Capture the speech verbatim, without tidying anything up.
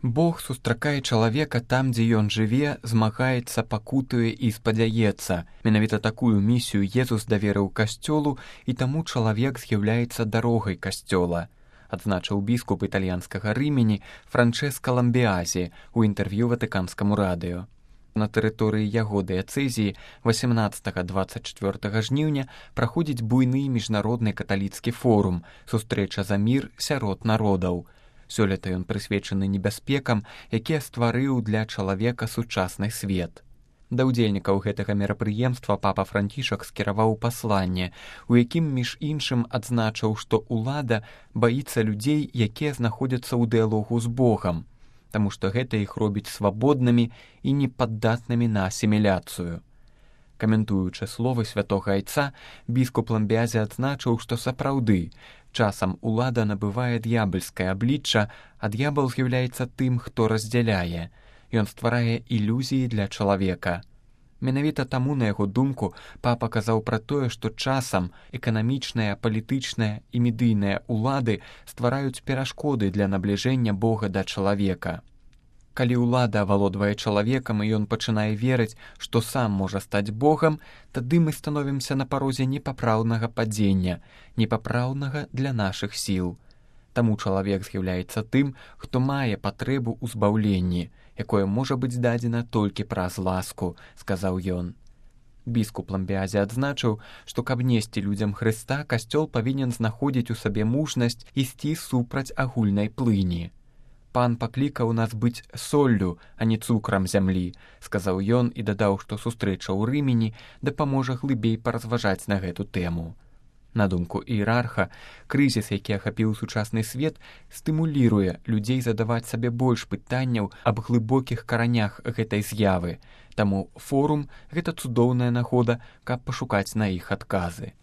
Бог сустракае чалавека там, дзе ён жыве, змагаецца, пакутуе і спадзяецца. Менавіта такую місію Езус даверыў касцёлу, і таму чалавек з'яўляецца дарогай касцёла, адзначыў біскуп італьянскага Рымені Франчэска Ламбіазі ў інтэрв'ю Ватыканскаму радыё. На тэрыторыі яго дыяцэзіі васямнаццатага - дваццаць чвёртага жніўня праходзіць буйны міжнародны каталіцкі форум «Сустрэча за мір сярод народаў». Сёлета ён прысвечаны небяспекам, якія стварыў для чалавека сучасны свет. Да ўдзельнікаў гэтага мерапрыемства папа Францішак скіраваў пасланне, у якім між іншым адзначыў, што ўлада баіцца людзей, якія знаходзяцца ў дыялогу з Богам, таму што гэта іх робіць свабоднымі і непаддатнымі на асіміляцыю. Каментуючы словы святога айца, біскуп Ламбіазі адзначыў, што сапраўды часам улада набывае д'ябальскае аблічча, а д'ябал з'яўляецца тым, хто раздзяляе. Ён стварае ілюзіі для чалавека. Менавіта таму, на яго думку, папа казаў пра тое, што часам эканамічныя, палітычныя і медыйныя улады ствараюць перашкоды для набліжэння Бога да чалавека. Калі ўлада авалодвае чалавекам і ён пачынае верыць, што сам можа стаць Богам, тады мы становімся на парозе непапраўнага падзення, непапраўнага для нашых сіл. Таму чалавек з'яўляецца тым, хто мае патрэбу ў збаўленні, якое можа быць дадзена толькі праз ласку, сказаў ён. Біскуп Ламбіазі адзначыў, што каб несці людзям Хрыста, касцёл павінен знаходзіць у сабе мужнасць ісці супраць агульнай плыні. «Пан паклікаў нас быць соллю, а не цукрам зямлі», сказаў ён і дадаў, што сустрэча ў Рымені дапаможа глыбей паразважаць на гэту тэму. На думку іерарха, крызіс, які ахапіў сучасны свет, стымуліруе людзей задаваць сабе больш пытанняў аб глыбокіх каранях гэтай з'явы, таму форум – гэта цудоўная нагода, каб пашукаць на іх адказы.